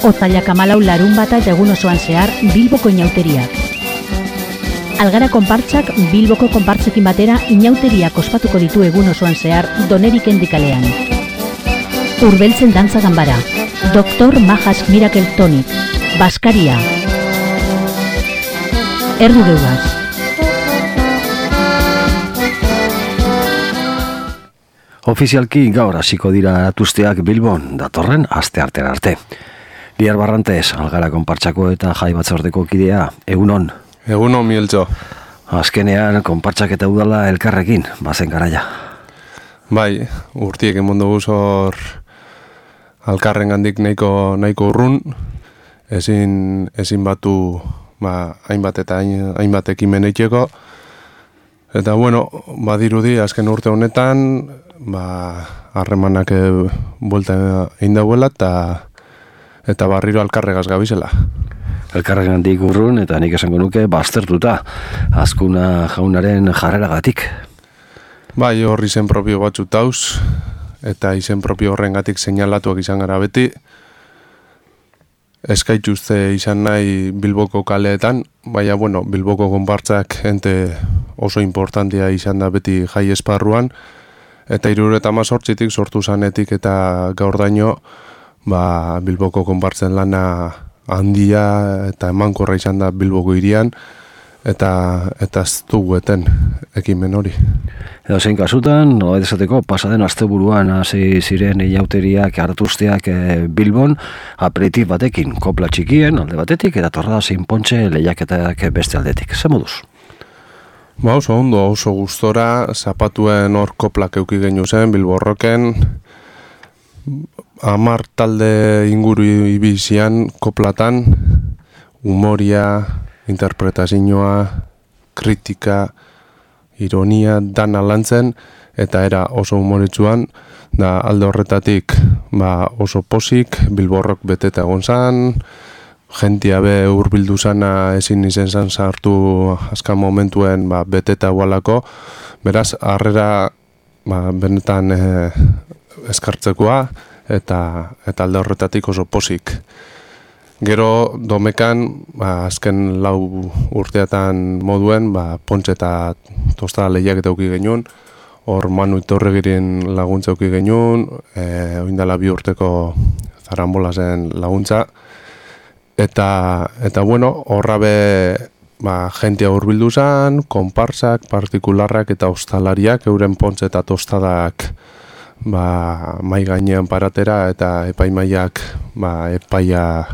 Otsailak 14 larunbata eta egun osoan zehar Bilboko inauteriak. Algara konpartsak Bilboko konpartsekin batera inauteriak ospatuko ditu egun osoan zehar Donerik endikalean. Urbeltzen dantza ganbara, Dr. Majas Miracle Tonic, Baskaria, Erdu geugaz. Ofizialki gaur hasiko dira aratuzteak Bilbon, datorren asteartera arte. Liar Barrantes, Algara konpartsako eta jai batzordeko kidea, egunon. Egunon, Mieltxo. Azkenean, konpartsak eta udala elkarrekin, bazen garaia. Bai, urtiek emondu guzor alkarren gandik nahiko urrun, ezin batu hainbat eta hainbat ekimen eiteko. Eta bueno, badirudi azken urte honetan, harremanak buelta egin dauela eta barriro alkarregaz gabizela. Elkarrengandik urrun eta nik esango nuke baztertuta, Azkuna jaunaren jarreragatik. Bai, hor izen propio batzu tauz, eta izen propio horrengatik seinalatuak izan gara beti. Eskaituzte izan nahi Bilboko kaleetan, baina Bilboko konpartzak ente oso importantia izan da beti jai esparruan, eta 78tik sortu zanetik eta gaur daino, Bilboko konpartzen lana handia eta emankorra izan da Bilboko hirian, eta ez dugu eten ekimen hori. Edo zein kasutan, nola esateko, pasaden asteburuan hasi ziren inauteriak aratuzteak Bilbon, aperitif batekin, kopla txikien alde batetik, eta torrada zein pontxe lehiaketak beste aldetik. Ze moduz? Oso ondo, oso gustora, zapatuen hor koplak euki genu zen, Bilborroken, 10 talde inguru ibizian koplatan, humoria, interpretazioa, kritika, ironia, dana lantzen, eta era oso humoritzuan, da alde horretatik oso posik, Bilborrok beteta egon zan, jentia be hurbildu zana ezin izen zan sartu azkan momentuen beteta gualako, beraz, harrera benetan eskartzekoa, eta alde horretatik oso posik. Gero domekan, azken 4 urteatan moduen, pontxe eta tostada lehiak eta auki genuen, hor Manu Itorregiren laguntza auki genuen, oindala 2 urteko Zarambolasen laguntza, eta horra be jentia hurbildu zan, konparsak, partikularrak eta ostalariak, euren pontxe eta tostadak mai gainean paratera eta epaimaiak epaia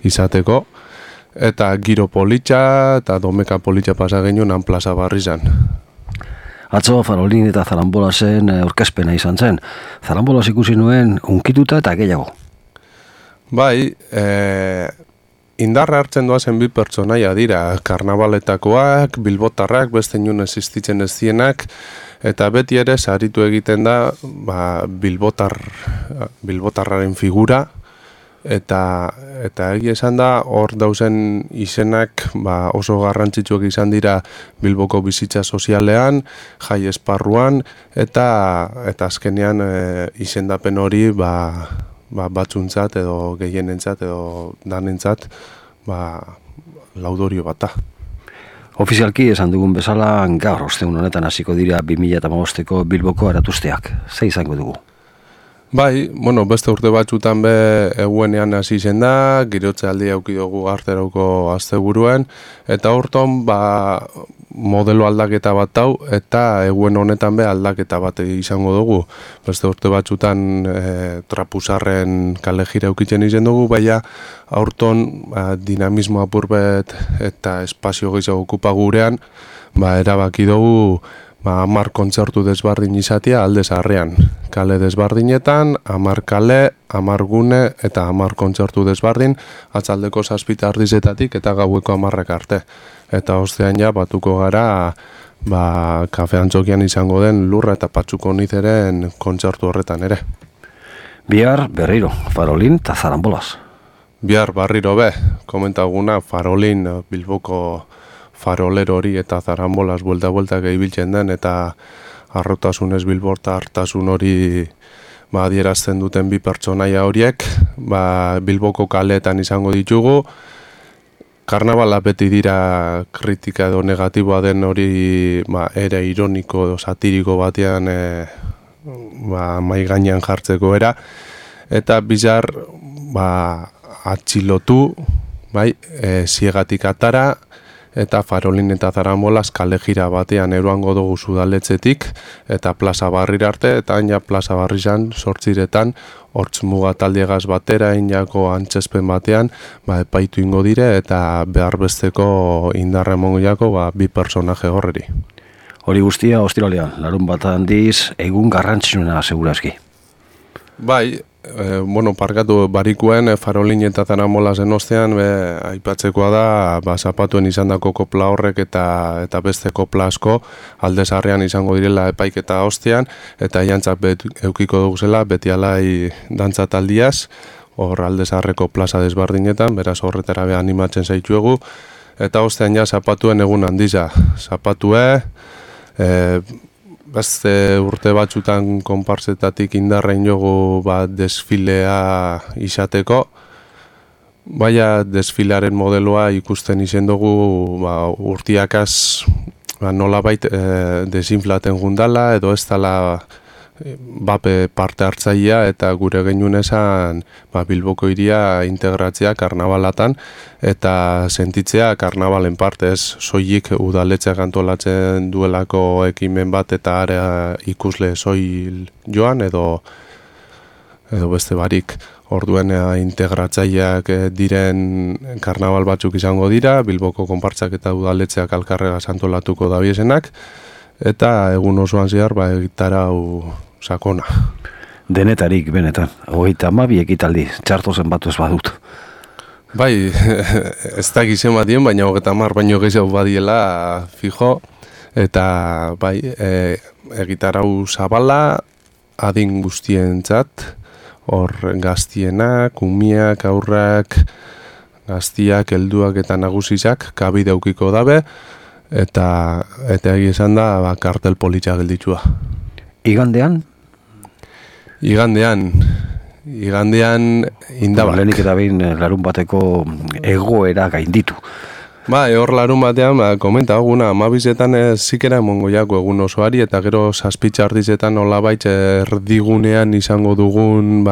izateko, eta giro politxa eta domeka politxa pasa genuen han plaza barri zan. Atzo Farolin eta Zarambolasen aurkezpena izan zen. Zarambolas ikusi nuen unkituta eta gehiago. Bai, indarra hartzen doazen 2 pertsonaia dira, karnabaletakoak, bilbotarrak, beste inun existitzen ez dienak, eta beti ere saritu egiten da bilbotarraren figura, eta egia esan da hor dauzen izenak oso garrantzitsuak izan dira Bilboko bizitza sozialean, jai esparruan, eta azkenean izendapen hori batzuntzat edo gehienentzat edo danentzat laudorio bata. Ofizialki esan dugun bezala, gaur ostegun honetan hasiko dira 2015ko Bilboko aratuzteak. Ze izango dugu? Bai, beste urte batzutan be eguenean hasi zen da, girotze aldi auki dugu arterauko asteburuen, eta horton modelo aldaketa bat hau, eta eguen honetan be aldaketa bat izango dugu. Beste urte batzutan trapuzarren kale jira aukitzen izen dugu, baina aurton dinamismo apurbet eta espazio gehiago okupa gurean, erabaki dugu 10 kontzertu desbardin izatea alde zaharrean. Kale desbardinetan, 10 kale, 10 gune eta 10 kontzertu desbardin, atzaldeko 7 ardizetatik eta gaueko 10 arte. Eta ostean batuko gara, kafe antzokian izango den Lurra eta Patsuko Nizeren kontzertu horretan ere. Bihar berriro, Farolin eta Zarambolas. Bihar barriro be, komentaguna Farolin Bilboko farolero hori eta Zarambolas buelta gehibiltzen den, eta arrotasunez bilborta hartasun hori adierazten duten bi pertsonaia horiek, Bilboko kaleetan izango ditugu. Karnabala beti dira kritika edo negatiboa den hori ere ironiko edo satiriko batean mai gainean jartzeko era. Eta bizar atxilotu, ziegatik atara, eta Farolin eta Zaramolas kale jira batean eroango dugu Udaletxetik eta Plaza Barrira arte, eta haina Plaza Barrizan 8 hortz muga taldiegaz batera inako antzespen batean epaitu ingo dire eta behar besteko indarra emongo jako bi personaje horreri. Hori guztia, ostiralean, larun bat handiz, egun garrantzitsuna segurazki. Bai, parkatu barikuen Farolin eta Zaramolasen ostean aipatzekoa da zapatuen izandako kopla horrek eta beste kopla asko Aldezarrean izango direla epaiketa ostean eta jantzak eukiko duguzela beti alai dantza taldiaz hor Aldezarreko plaza desbardinetan, beraz horretara animatzen zaituegu eta ostean ja zapatuen egun handiza zapatue beste urte batzutan konpartzetatik indarrein jogu desfilea izateko. Baina desfilearen modeloa ikusten izen dugu urtiakaz nolabait desinflaten gundala edo ez dala bape parte hartzailea eta gure genuen esan Bilboko hiria integratzea karnabalatan eta sentitzea karnabalen partez soilik udaletxeak antolatzen duelako ekimen bat eta area ikusle soil joan edo beste barik orduen integratzaileak diren karnabal batzuk izango dira, Bilboko konpartzak eta udaletxeak alkarregaz antolatuko dabiesenak eta egun osoan zehar egitarau sakona. Denetarik, benetan. 32 ekitaldi, txarto zenbatu ez badut. Bai, ez da gizen badien, baina 30 baino gehiago badiela fijo. Eta egitarau zabala, adin guztientzat, hor gaztienak, umiak, aurrak, gaztiak, helduak eta nagusizak kabide aukiko dabe, eta egia esan da kartel politxa gelditua. Igandean? Igandean indabak. Lehenik eta behin larun bateko egoera gainditu. Hor larun batean, komenta eguna, amabizetan zikera emongo jako egun osoari, eta gero zazpitxardizetan olabait erdigunean izango dugun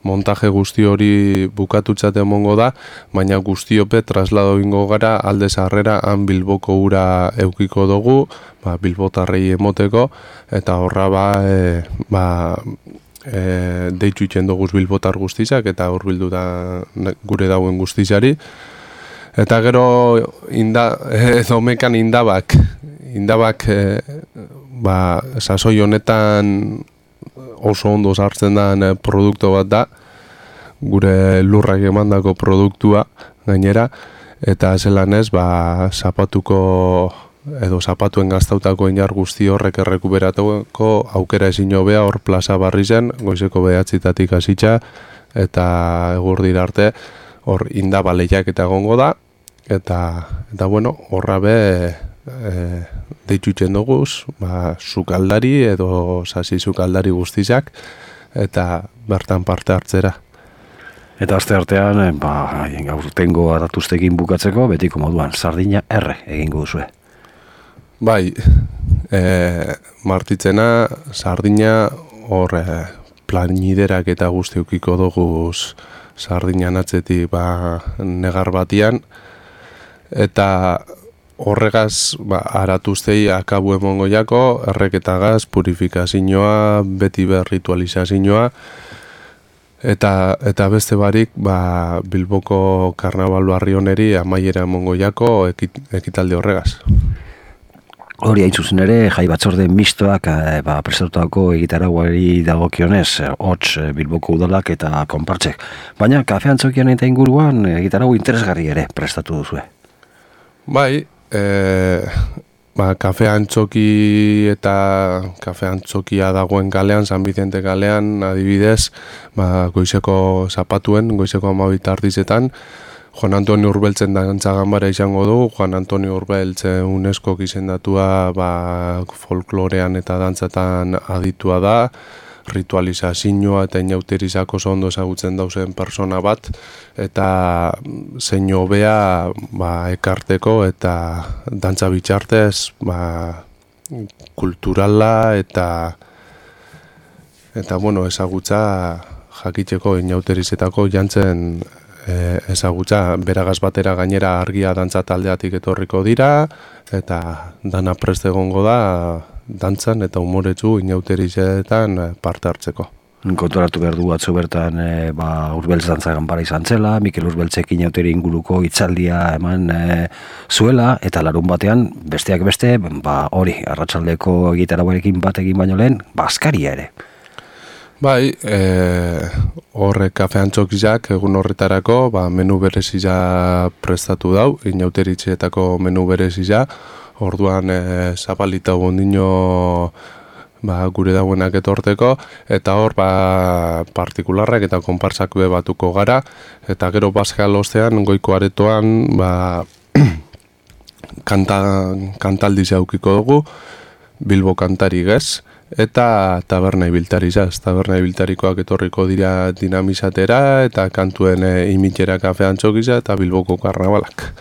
montaje guzti hori bukatutzat emongo da, baina guztiope traslado ingo gara Aldezarrera han Bilboko ura eukiko dugu, Bilbotarrei emoteko, eta horra deitu itxen duguz Bilbotar guztizak, eta hor bildu da gure dauen guztizari. Eta gero domekan indabak sasoi honetan oso ondo sartzen den produktu bat da, gure lurrak emandako produktua gainera, eta zelan ez, zapatuen gaztautako inar guzti horrek errekuperatuko aukera ezin hobea hor Plaza Barrizen, goizeko 9 hasitza, eta egurdira arte hor indabaleiak eta egongo da, eta horra deitutzen duguz, sukaldari edo sasi sukaldari guztizak, eta bertan parte hartzera. Eta aste artean, gaurtengo adatuztekin bukatzeko, betiko moduan, sardina erre egingo duzue. Bai, martitzena, sardina hor planiderak eta guztiukiko duguz sardinan atzetik negar batian, eta horregaz aratuztei akabu emongo jako, erreketagaz, purifikazioa, beti ritualizazioa, eta beste barik Bilboko karnabal barri honeri amaiera emongo jako ekitaldi horregaz. Hori hain zuzen ere, jai batzorde mistoak prestatutako egitarauari dagokionez, hots Bilboko udalak eta konpartzek. Baina kafe antzokian eta inguruan egitarau interesgarri ere prestatu duzue. Bai, kafe antzoki eta kafe antzokia dagoen kalean, San Vicente kalean, adibidez, goizeko zapatuen, goizeko 12 ardizetan, Juan Antonio Urbeltzen dantza ganbara izango du. Juan Antonio Urbeltzen UNESCO izendatua folklorean eta dantzatan aditua da. ritualizazioa eta inauterizako oso ondo ezagutzen dauzen persona bat, eta zein hobea ekarteko eta dantza bitxartez kulturala eta ezagutza jakiteko inauterizetako jantzen ezagutza beragaz batera gainera argia dantza taldeatik etorriko dira eta dana prest egongo da dantzan eta umoretsu inauterizetan parte hartzeko. Konturatu behar du atzo bertan Urbeltz dantza ganbara izan zela, Mikel Urbeltzek inauteri inguruko hitzaldia eman zuela, eta larun batean besteak beste, hori, arratsaldeko gitarauarekin bat egin baino lehen, askaria ere. Bai, horrek kafean txokizak egun horretarako menu berezia prestatu dau, inauteritzeetako menu berezia, orduan zapalita gondino gure dauenak etorteko, eta hor partikularrak eta konpartsak batuko gara, eta gero Paskal ostean goiko aretoan kantaldi zaukiko dugu, Bilbo kantari gez, eta taberna ibiltarizaz. Taberna ibiltarikoak etorriko dira dinamizatera eta kantuen imitera kafean txokiza eta Bilboko karnabalak.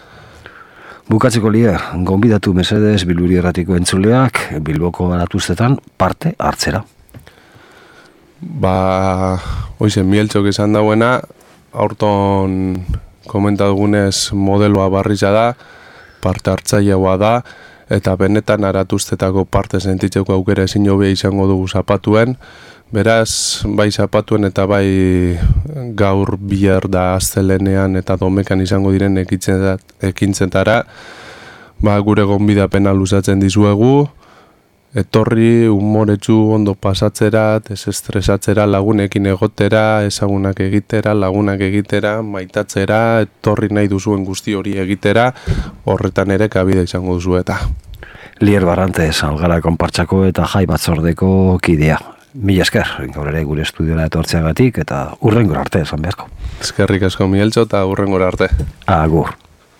Bukatzeko lia, gonbidatu mesedez Bilburi Erratiko entzuleak Bilboko garatuztetan parte hartzera. Hoizen Mieltxok esan dauena, aurton komentadugunez modeloa barriza da, parte hartzaileagoa da, eta benetan aratuztetako parte sentitzeko aukera ezin hobea izango dugu zapatuen. Beraz, bai zapatuen eta bai gaur bihar da astelenean eta domekan izango diren ekintzetara, gure gonbidapena luzatzen dizuegu, etorri umoretsu ondo pasatzera, desestresatzera, lagunekin egotera, ezagunak egitera, lagunak egitera, maitatzera, etorri nahi duzuen guzti hori egitera, horretan ere kabida izango duzu eta. Lier Barrantez, Algara konpartsako eta jai batzordeko kidea. Mila esker, gaur ere gure estudiora etortzeagatik eta hurrengora arte esan beharko. Eskerrik asko Mieltxo eta hurrengora arte. Agur.